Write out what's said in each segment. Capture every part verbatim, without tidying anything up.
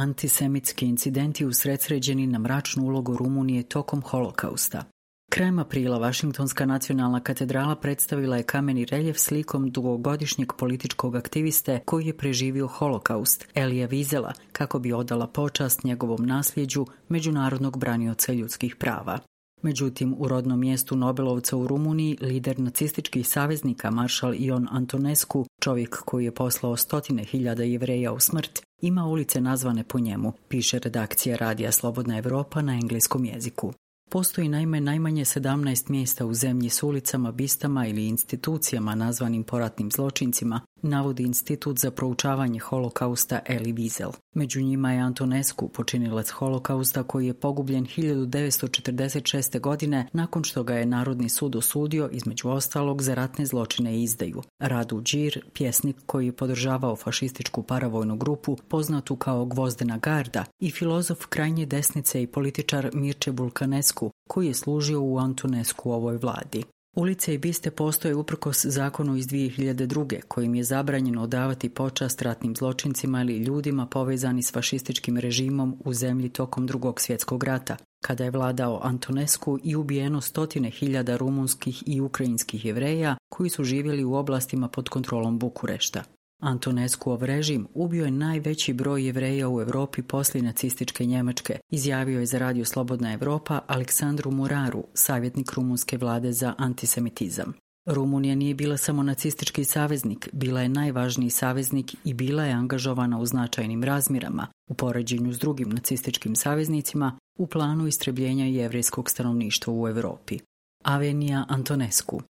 antisemitski incidenti usredsređeni na mračnu ulogu Rumunije tokom holokausta. Krajem aprila Vašingtonska nacionalna katedrala predstavila je kameni reljef slikom dugogodišnjeg političkog aktiviste koji je preživio holokaust, Elija Vizela, kako bi odala počast njegovom nasljeđu međunarodnog branioca ljudskih prava. Međutim, u rodnom mjestu Nobelovca u Rumuniji, lider nacističkih saveznika maršal Ion Antonescu, čovjek koji je poslao stotine hiljada Jevreja u smrt, ima ulice nazvane po njemu, piše redakcija Radija Slobodna Evropa na engleskom jeziku. Postoji naime najmanje sedamnaest mjesta u zemlji s ulicama, bistama ili institucijama nazvanim po ratnim zločincima, navodi Institut za proučavanje holokausta Elie Wiesel. Među njima je Antonescu, počinilac holokausta koji je pogubljen hiljadu devetsto četrdeset šeste. godine nakon što ga je Narodni sud osudio između ostalog za ratne zločine i izdaju. Radu Đir, pjesnik koji je podržavao fašističku paravojnu grupu poznatu kao Gvozdena garda, i filozof krajnje desnice i političar Mirče Bulkanescu, koji je služio u Antonescu ovoj vladi. Ulice i biste postoje uprkos zakonu iz dvije hiljade druge. kojim je zabranjeno odavati počast ratnim zločincima ili ljudima povezani s fašističkim režimom u zemlji tokom Drugog svjetskog rata, kada je vladao Antonescu i ubijeno stotine hiljada rumunskih i ukrajinskih Jevreja koji su živjeli u oblastima pod kontrolom Bukurešta. Antonescuov režim ubio je najveći broj Jevreja u Europi poslije nacističke Njemačke, izjavio je za Radio Slobodna Evropa Aleksandru Muraru, savjetnik rumunske vlade za antisemitizam. Rumunija nije bila samo nacistički saveznik, bila je najvažniji saveznik i bila je angažovana u značajnim razmjerama, u poređenju s drugim nacističkim saveznicima, u planu istrebljenja jevrejskog stanovništva u Europi. Avenija Antonescu.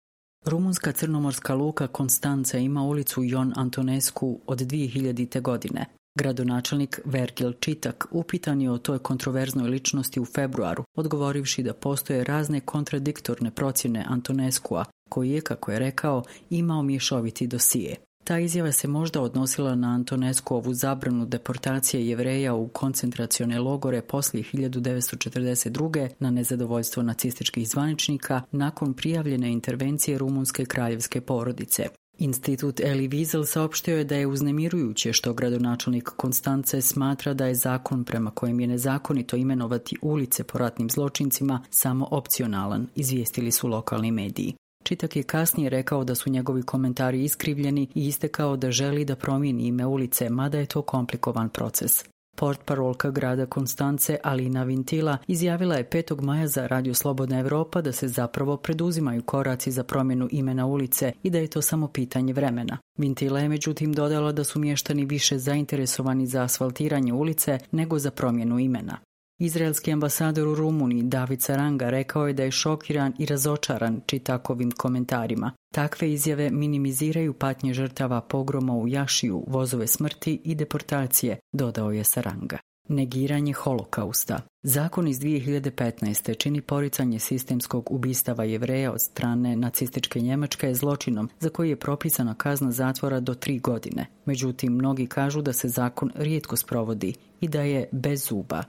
Rumunska crnomorska luka Konstanca ima ulicu Ion Antonescu od dvije hiljadite. godine. Gradonačelnik Vergil Čitak upitan je o toj kontroverznoj ličnosti u februaru, odgovorivši da postoje razne kontradiktorne procjene Antonescua, koji je, kako je rekao, imao mješoviti dosije. Ta izjava se možda odnosila na Antonescuovu zabranu deportacije Jevreja u koncentracione logore poslije hiljadu devetsto četrdeset druge. na nezadovoljstvo nacističkih zvaničnika nakon prijavljene intervencije rumunske kraljevske porodice. Institut Elie Wiesel saopštio je da je uznemirujuće što gradonačelnik Konstance smatra da je zakon prema kojem je nezakonito imenovati ulice po ratnim zločincima samo opcionalan, izvijestili su lokalni mediji. Čitak je kasnije rekao da su njegovi komentari iskrivljeni i istekao da želi da promijeni ime ulice, mada je to komplikovan proces. Portparolka grada Konstance Alina Vintila izjavila je petog maja za Radio Slobodna Evropa da se zapravo preduzimaju koraci za promjenu imena ulice i da je to samo pitanje vremena. Vintila je međutim dodala da su mještani više zainteresovani za asfaltiranje ulice nego za promjenu imena. Izraelski ambasador u Rumuniji David Saranga rekao je da je šokiran i razočaran Čitakovim komentarima. Takve izjave minimiziraju patnje žrtava pogroma u Jašiju, vozove smrti i deportacije, dodao je Saranga. Negiranje holokausta. Zakon iz dvije hiljade petnaeste. čini poricanje sistemskog ubistava Jevreja od strane nacističke Njemačke zločinom za koji je propisana kazna zatvora do tri godine. Međutim, mnogi kažu da se zakon rijetko sprovodi i da je bez zuba.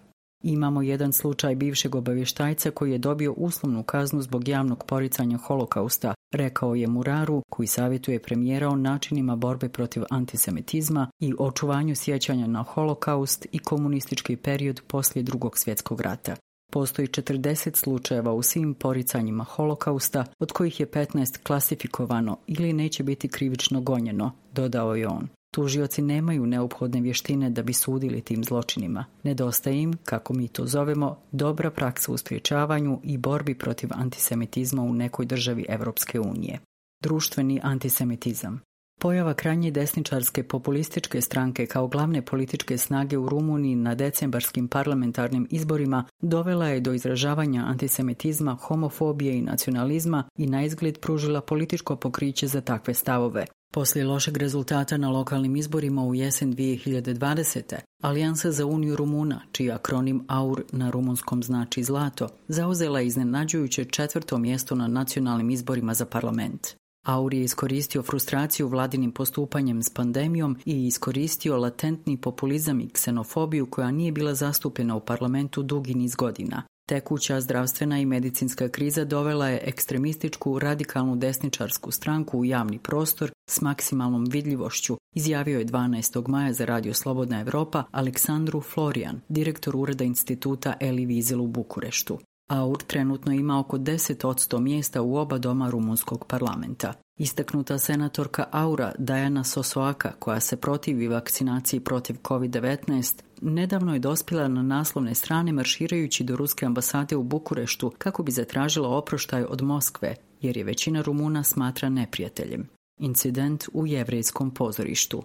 Imamo jedan slučaj bivšeg obavještajca koji je dobio uslovnu kaznu zbog javnog poricanja holokausta, rekao je Muraru, koji savjetuje premijera o načinima borbe protiv antisemitizma i očuvanju sjećanja na holokaust i komunistički period poslije Drugog svjetskog rata. Postoji četrdeset slučajeva u svim poricanjima holokausta, od kojih je petnaest klasifikovano ili neće biti krivično gonjeno, dodao je on. Tužioci nemaju neophodne vještine da bi sudili tim zločinima. Nedostaje im, kako mi to zovemo, dobra praksa u sprječavanju i borbi protiv antisemitizma u nekoj državi Europske unije. Društveni antisemitizam. Pojava krajnje desničarske populističke stranke kao glavne političke snage u Rumuniji na decembarskim parlamentarnim izborima dovela je do izražavanja antisemitizma, homofobije i nacionalizma i naizgled pružila političko pokriće za takve stavove. Poslije lošeg rezultata na lokalnim izborima u jesen dvije hiljade dvadesete. Alijansa za Uniju Rumuna, čiji akronim A U R na rumunskom znači zlato, zauzela je iznenađujuće četvrto mjesto na nacionalnim izborima za parlament. A U R je iskoristio frustraciju vladinim postupanjem s pandemijom i iskoristio latentni populizam i ksenofobiju koja nije bila zastupljena u parlamentu dugi niz godina. Tekuća zdravstvena i medicinska kriza dovela je ekstremističku radikalnu desničarsku stranku u javni prostor s maksimalnom vidljivošću, izjavio je dvanaestog maja za Radio Slobodna Evropa Aleksandru Florian, direktor ureda instituta Elie Wiesel u Bukureštu. Aur trenutno ima oko deset posto mjesta u oba doma rumunskog parlamenta. Istaknuta senatorka Aura Dajana Sosoaka, koja se protivi vakcinaciji protiv kovid devetnaest, nedavno je dospjela na naslovne strane marširajući do ruske ambasade u Bukureštu kako bi zatražila oproštaj od Moskve, jer je većina Rumuna smatra neprijateljem. Incident u jevrejskom pozorištu.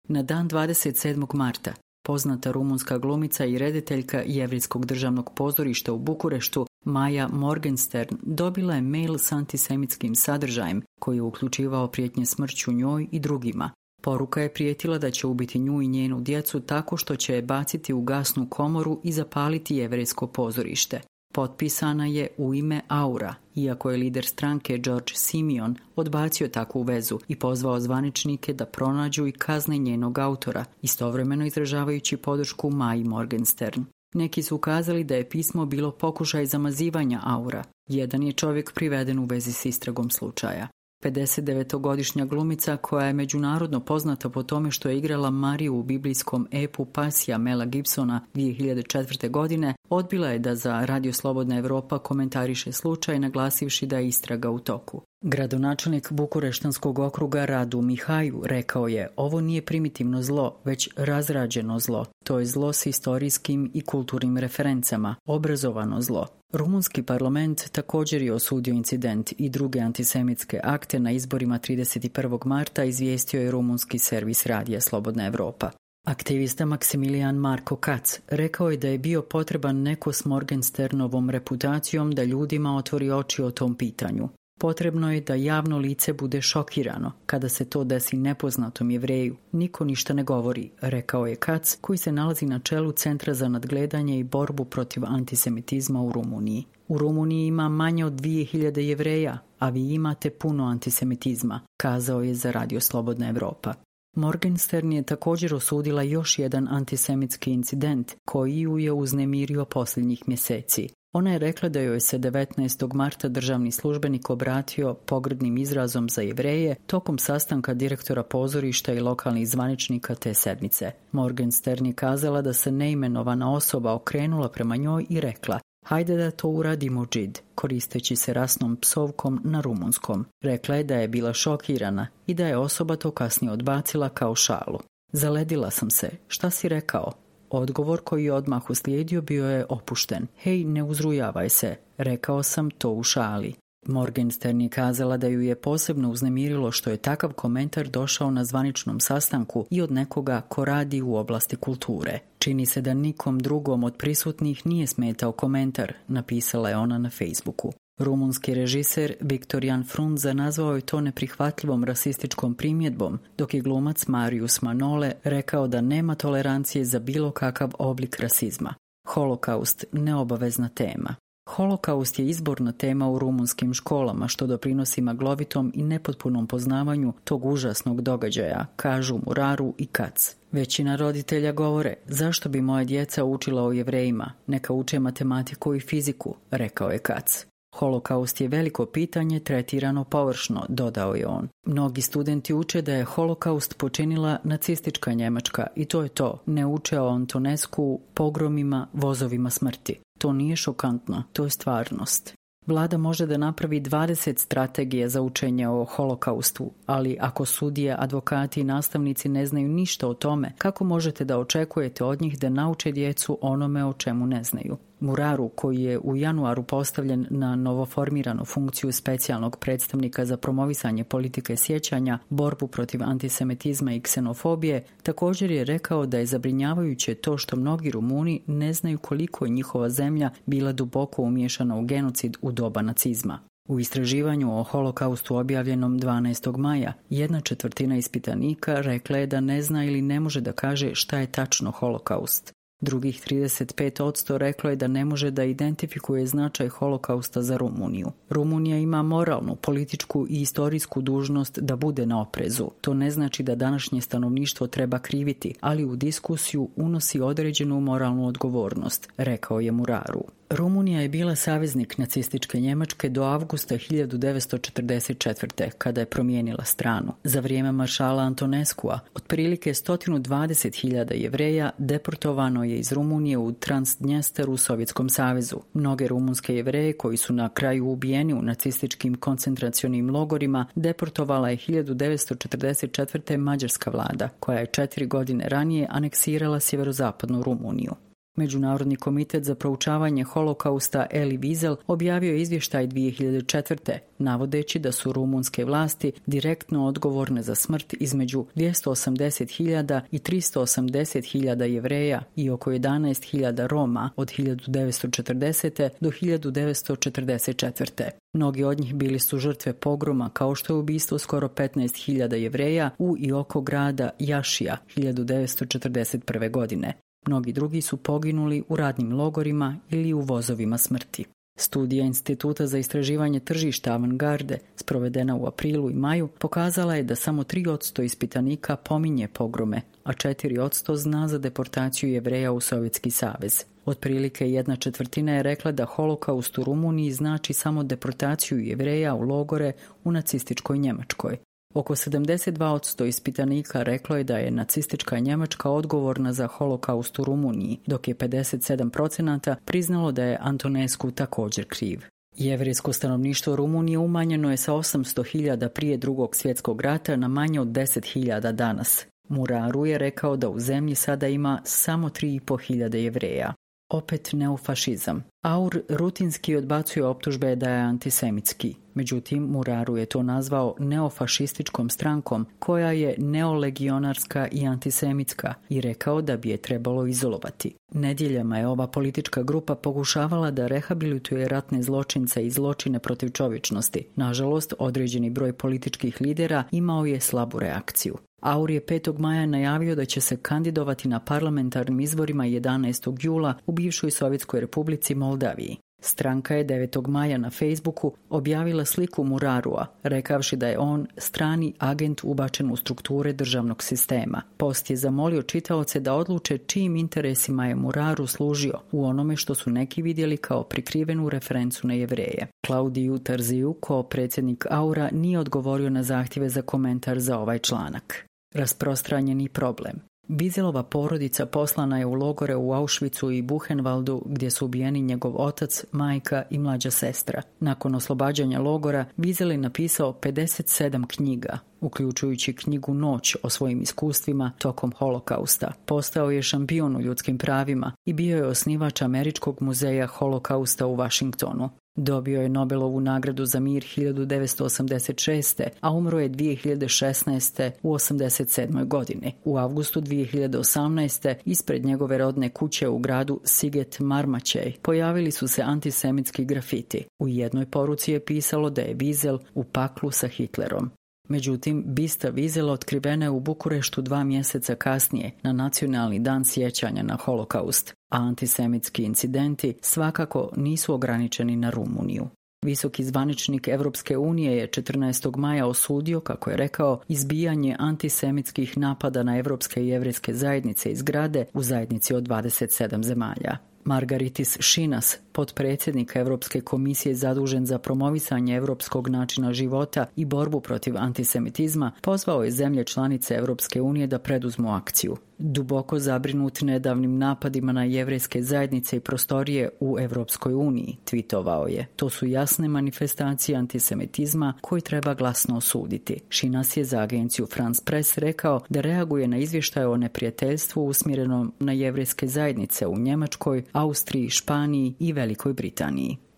Na dan dvadeset sedmog marta poznata rumunska glumica i rediteljka Jevrejskog državnog pozorišta u Bukureštu Maja Morgenstern dobila je mail s antisemitskim sadržajem koji je uključivao prijetnje smrću njoj i drugima. Poruka je prijetila da će ubiti nju i njenu djecu tako što će je baciti u gasnu komoru i zapaliti jevrejsko pozorište. Potpisana je u ime Aura, iako je lider stranke George Simeon odbacio takvu vezu i pozvao zvaničnike da pronađu i kazne njenog autora, istovremeno izražavajući podršku Maji Morgenstern. Neki su ukazali da je pismo bilo pokušaj zamazivanja Aura. Jedan je čovjek priveden u vezi s istragom slučaja. pedesetdevetogodišnja glumica, koja je međunarodno poznata po tome što je igrala Mariju u biblijskom epu Pasija Mela Gibsona dvije hiljade četvrte. godine, odbila je da za Radio Slobodna Evropa komentariše slučaj, naglasivši da je istraga u toku. Gradonačelnik Bukureštanskog okruga Radu Mihaju rekao je: ovo nije primitivno zlo, već razrađeno zlo. To je zlo s istorijskim i kulturnim referencama, obrazovano zlo. Rumunski parlament također je osudio incident i druge antisemitske akte na izborima trideset prvog marta, izvijestio je rumunski servis Radija Slobodna Evropa. Aktivista Maksimilijan Marko Kac rekao je da je bio potreban neko s Morgensternovom reputacijom da ljudima otvori oči o tom pitanju. Potrebno je da javno lice bude šokirano kada se to desi nepoznatom Jevreju. Niko ništa ne govori, rekao je Kac, koji se nalazi na čelu Centra za nadgledanje i borbu protiv antisemitizma u Rumuniji. U Rumuniji ima manje od dvije hiljade Jevreja, a vi imate puno antisemitizma, kazao je za Radio Slobodna Evropa. Morgenstern je također osudila još jedan antisemitski incident koji ju je uznemirio posljednjih mjeseci. Ona je rekla da joj se devetnaestog marta državni službenik obratio pogrdnim izrazom za Jevreje tokom sastanka direktora pozorišta i lokalnih zvaničnika te sedmice. Morgenstern je kazala da se neimenovana osoba okrenula prema njoj i rekla: hajde da to uradimo, džid, koristeći se rasnom psovkom na rumunskom. Rekla je da je bila šokirana i da je osoba to kasnije odbacila kao šalu. Zaledila sam se, šta si rekao? Odgovor koji je odmah uslijedio bio je opušten. Hej, ne uzrujavaj se, rekao sam to u šali. Morgenstern je kazala da ju je posebno uznemirilo što je takav komentar došao na zvaničnom sastanku i od nekoga ko radi u oblasti kulture. Čini se da nikom drugom od prisutnih nije smetao komentar, napisala je ona na Facebooku. Rumunski režiser Viktor Frunze nazvao je to neprihvatljivom rasističkom primjedbom, dok je glumac Marius Manole rekao da nema tolerancije za bilo kakav oblik rasizma. Holokaust neobavezna tema. Holokaust je izborna tema u rumunskim školama, što doprinosi maglovitom i nepotpunom poznavanju tog užasnog događaja, kažu Muraru i Kac. Većina roditelja govore: zašto bi moja djeca učila o Jevrejima, neka uče matematiku i fiziku, rekao je Kac. Holokaust je veliko pitanje tretirano površno, dodao je on. Mnogi studenti uče da je holokaust počinila nacistička Njemačka i to je to. Ne uče o Antonescu, pogromima, vozovima smrti. To nije šokantno, to je stvarnost. Vlada može da napravi dvadeset strategija za učenje o holokaustu, ali ako sudije, advokati i nastavnici ne znaju ništa o tome, kako možete da očekujete od njih da nauče djecu onome o čemu ne znaju? Muraru, koji je u januaru postavljen na novoformiranu funkciju specijalnog predstavnika za promovisanje politike sjećanja, borbu protiv antisemitizma i ksenofobije, također je rekao da je zabrinjavajuće to što mnogi Rumuni ne znaju koliko je njihova zemlja bila duboko umiješana u genocid u doba nacizma. U istraživanju o holokaustu objavljenom dvanaestog maja, jedna četvrtina ispitanika rekla je da ne zna ili ne može da kaže šta je tačno holokaust. Drugih trideset pet posto reklo je da ne može da identifikuje značaj holokausta za Rumuniju. Rumunija ima moralnu, političku i istorijsku dužnost da bude na oprezu. To ne znači da današnje stanovništvo treba kriviti, ali u diskusiju unosi određenu moralnu odgovornost, rekao je Muraru. Rumunija je bila saveznik nacističke Njemačke do avgusta hiljadu devetsto četrdeset četvrte. kada je promijenila stranu. Za vrijeme maršala Antoneskua otprilike sto dvadeset hiljada Jevreja deportovano je iz Rumunije u Transdnjester u Sovjetskom savezu. Mnoge rumunske Jevreje koji su na kraju ubijeni u nacističkim koncentracionim logorima deportovala je hiljadu devetsto četrdeset četvrte. mađarska vlada, koja je četiri godine ranije aneksirala sjeverozapadnu Rumuniju. Međunarodni komitet za proučavanje holokausta Elie Wiesel objavio je izvještaj dvije hiljade četvrte. navodeći da su rumunske vlasti direktno odgovorne za smrt između dvjesto osamdeset hiljada i tristo osamdeset hiljada Jevreja i oko jedanaest hiljada Roma od hiljadu devetsto četrdesete. do hiljadu devetsto četrdeset četvrte. Mnogi od njih bili su žrtve pogroma, kao što je ubistvo skoro petnaest hiljada Jevreja u i oko grada Jašija hiljadu devetsto četrdeset prve. godine. Mnogi drugi su poginuli u radnim logorima ili u vozovima smrti. Studija Instituta za istraživanje tržišta Avangarde, sprovedena u aprilu i maju, pokazala je da samo tri posto ispitanika pominje pogrome, a četiri posto zna za deportaciju Jevreja u Sovjetski savez. Otprilike jedna četvrtina je rekla da holokaust u Rumuniji znači samo deportaciju Jevreja u logore u nacističkoj Njemačkoj. Oko sedamdeset dva posto ispitanika reklo je da je nacistička Njemačka odgovorna za holokaust u Rumuniji, dok je pedeset sedam posto priznalo da je Antonescu također kriv. Jevrejsko stanovništvo Rumunije umanjeno je sa osamsto hiljada prije drugog svjetskog rata na manje od deset hiljada danas. Muraru je rekao da u zemlji sada ima samo tri i pol hiljade Jevreja. Opet neofašizam. Aur rutinski odbacuje optužbe da je antisemitski. Međutim, Muraru je to nazvao neofašističkom strankom koja je neolegionarska i antisemitska i rekao da bi je trebalo izolovati. Nedjeljama je ova politička grupa pokušavala da rehabilituje ratne zločince i zločine protiv čovječnosti. Nažalost, određeni broj političkih lidera imao je slabu reakciju. Aur je petog maja najavio da će se kandidovati na parlamentarnim izborima jedanaestog jula u bivšoj Sovjetskoj republici Moldaviji. Stranka je devetog maja na Facebooku objavila sliku Murarua, rekavši da je on strani agent ubačen u strukture državnog sistema. Post je zamolio čitaoce da odluče čijim interesima je Muraru služio u onome što su neki vidjeli kao prikrivenu referencu na Jevreje. Claudiu Tarziju, ko predsjednik Aura, nije odgovorio na zahtjeve za komentar za ovaj članak. Rasprostranjeni problem. Wieselova porodica poslana je u logore u Auschwitzu i Buchenwaldu gdje su ubijeni njegov otac, majka i mlađa sestra. Nakon oslobađanja logora, Wiesel je napisao pedeset sedam knjiga, uključujući knjigu Noć o svojim iskustvima tokom holokausta. Postao je šampion u ljudskim pravima i bio je osnivač Američkog muzeja holokausta u Washingtonu. Dobio je Nobelovu nagradu za mir hiljadu devetsto osamdeset šeste. a umro je dvije hiljade šesnaeste. u osamdeset sedmoj. godini. U avgustu dvije hiljade osamnaeste. ispred njegove rodne kuće u gradu Siget Marmaćej pojavili su se antisemitski grafiti. U jednoj poruci je pisalo da je Wiesel u paklu sa Hitlerom. Međutim, bista Wiesela otkrivena je u Bukureštu dva mjeseca kasnije, na nacionalni dan sjećanja na holokaust, a antisemitski incidenti svakako nisu ograničeni na Rumuniju. Visoki zvaničnik Europske unije je četrnaestog maja osudio, kako je rekao, izbijanje antisemitskih napada na evropske i jevrejske zajednice i zgrade u zajednici od dvadeset sedam zemalja. Margaritis Šinas, potpredsjednik Europske komisije zadužen za promovisanje europskog načina života i borbu protiv antisemitizma, pozvao je zemlje članice Europske unije da preduzmu akciju. Duboko zabrinut nedavnim napadima na jevrejske zajednice i prostorije u Europskoj uniji, twitovao je. To su jasne manifestacije antisemitizma koji treba glasno osuditi. Šinas je za agenciju France Press rekao da reaguje na izvještaje o neprijateljstvu usmjerenom na jevrejske zajednice u Njemačkoj, Austriji, Španiji i Velikoj Britaniji.